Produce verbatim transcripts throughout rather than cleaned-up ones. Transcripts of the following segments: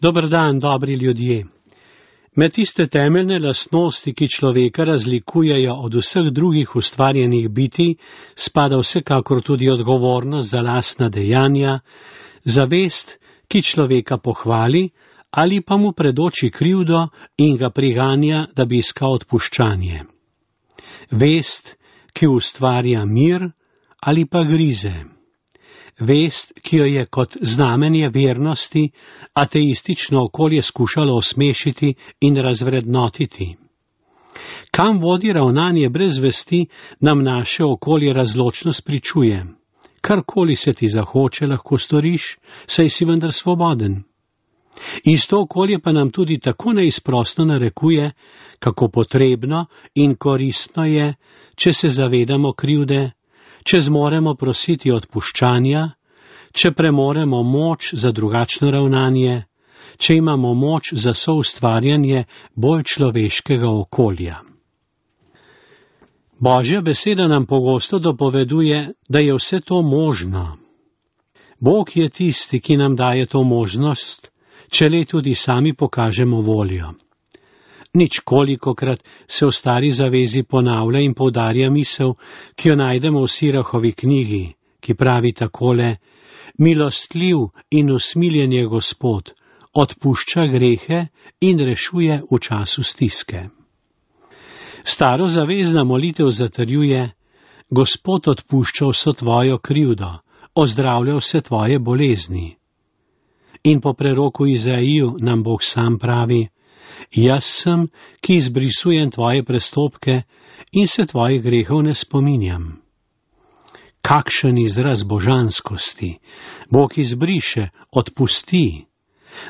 Dober dan, dobri ljudje. Med tiste temeljne lastnosti, ki človeka razlikujejo od vseh drugih ustvarjenih bitij, spada vsekakor tudi odgovornost za lastna dejanja, zavest, ki človeka pohvali ali pa mu predoči krivdo in ga priganja, da bi iskal odpuščanje. Vest, ki ustvarja mir ali pa grize. Vest, ki jo je kot znamenje vernosti ateistično okolje skušalo osmešiti in razvrednotiti. Kam vodi ravnanje brez vesti, nam naše okolje razločno spričuje. Karkoli se ti zahoče, lahko storiš, saj si vendar svoboden. Isto okolje pa nam tudi tako neizprosno narekuje, kako potrebno in koristno je, če se zavedamo krivde, če zmoremo prositi odpuščanja, če premoremo moč za drugačno ravnanje, če imamo moč za soustvarjanje bolj človeškega okolja. Božja beseda nam pogosto dopoveduje, da je vse to možno. Bog je tisti, ki nam daje to možnost, če le tudi sami pokažemo voljo. Nič kolikokrat se v stari zavezi ponavlja in poudarja misel, ki jo najdemo v Sirahovi knjigi, ki pravi takole: milostljiv in usmiljen je Gospod, odpušča grehe in rešuje v času stiske. Staro zavezna molitev zatrjuje: Gospod odpušča vso tvojo krivdo, ozdravlja vse tvoje bolezni. In po preroku Izaiju nam Bog sam pravi: jaz sem, ki izbrisujem tvoje prestopke in se tvojih grehov ne spominjam. Kakšen izraz božanskosti! Bog izbriše, odpusti.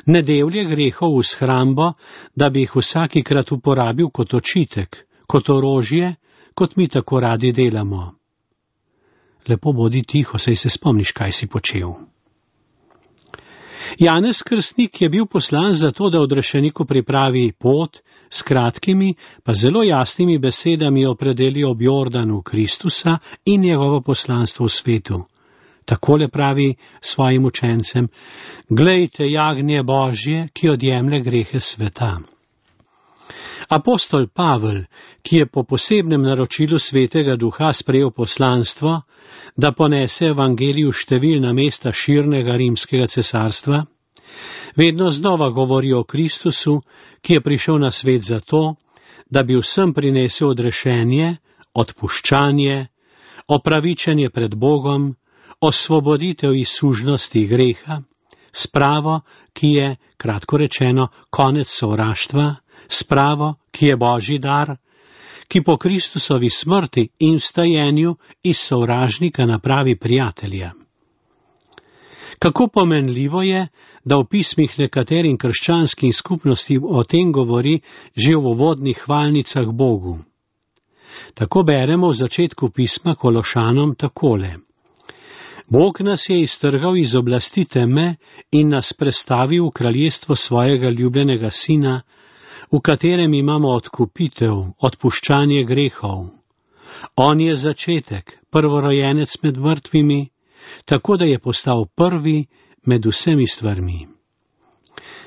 Ne devlje grehov v shrambo, da bi jih vsakikrat uporabil kot očitek, kot orožje, kot mi tako radi delamo. Lepo bodi tiho, saj se spomniš, kaj si počel. Janez Krstnik je bil poslan zato, da odrešeniku pripravi pot, s kratkimi, pa zelo jasnimi besedami opredeli ob Jordanu Kristusa in njegovo poslanstvo v svetu. Takole pravi svojim učencem: glejte jagnje Božje, ki odjemlje grehe sveta. Apostol Pavel, ki je po posebnem naročilu Svetega Duha sprejel poslanstvo, da ponese evangelij v številna mesta širnega rimskega cesarstva, vedno znova govori o Kristusu, ki je prišel na svet zato, da bi vsem prinesel odrešenje, odpuščanje, opravičenje pred Bogom, osvoboditev iz sužnosti greha, spravo, ki je, kratko rečeno, konec sovraštva, spravo, ki je Božji dar, ki po Kristusovi smrti in vstajenju iz sovražnika napravi prijatelja. Kako pomenljivo je, da v pismih nekaterim krščanskim skupnostim o tem govori že v uvodnih hvalnicah Bogu. Tako beremo v začetku pisma Kološanom takole: Bog nas je iztrgal iz oblasti teme in nas prestavil v kraljestvo svojega ljubljenega sina, v katerem imamo odkupitev, odpuščanje grehov. On je začetek, prvorojenec med mrtvimi, tako da je postal prvi med vsemi stvarmi.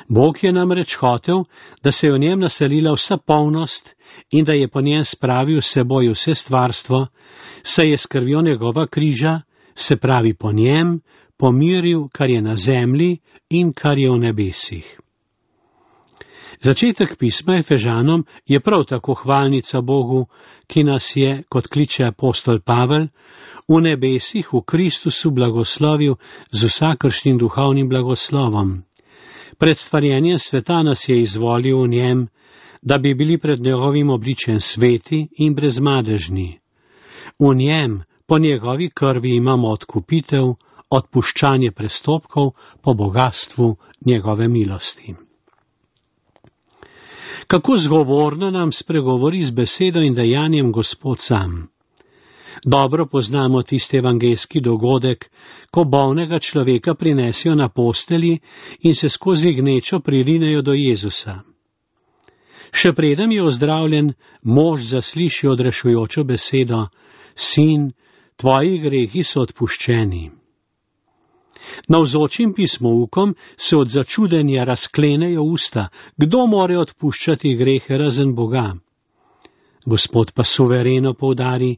Bog je namreč hotel, da se je v njem naselila vsa polnost in da je po njem spravil s seboj vse stvarstvo, saj je s krvjo njegova križa, se pravi po njem, pomiril, kar je na zemlji in kar je v nebesih. Začetek pisma Efežanom je prav tako hvalnica Bogu, ki nas je, kot kliče apostol Pavel, v nebesih v Kristusu blagoslovil z vsakršnim duhovnim blagoslovom. Pred stvarjenjem sveta nas je izvolil v njem, da bi bili pred njegovim obličjem sveti in brezmadežni. V njem, po njegovi krvi imamo odkupitev, odpuščanje prestopkov po bogatstvu njegove milosti. Kako zgovorno nam spregovori z besedo in dejanjem Gospod sam. Dobro poznamo tisti evangeljski dogodek, ko bolnega človeka prinesijo na postelji in se skozi gnečo pririnejo do Jezusa. Še preden je ozdravljen, mož zasliši odrešujočo besedo: Sin, tvoji grehi so odpuščeni. Navzočim pismoukom se od začudenja razklenejo usta, kdo more odpuščati grehe razen Boga. Gospod pa suvereno poudari,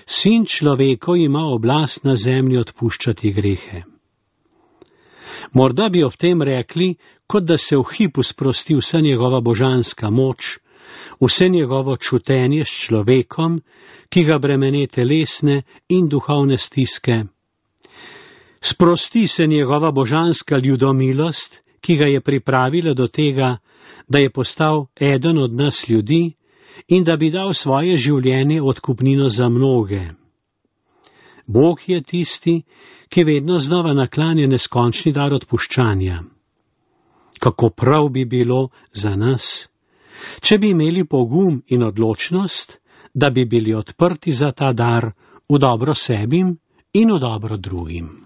Sin človekov ima oblast na zemlji odpuščati grehe. Morda bi ob tem rekli, kot da se v hipu sprosti vsa njegova božanska moč, vse njegovo čutenje s človekom, ki ga bremene telesne in duhovne stiske. Sprosti se njegova božanska ljudomilost, ki ga je pripravila do tega, da je postal eden od nas ljudi in da bi dal svoje življenje odkupnino za mnoge. Bog je tisti, ki vedno znova naklanja neskončni dar odpuščanja. Kako prav bi bilo za nas, če bi imeli pogum in odločnost, da bi bili odprti za ta dar v dobro sebim in v dobro drugim.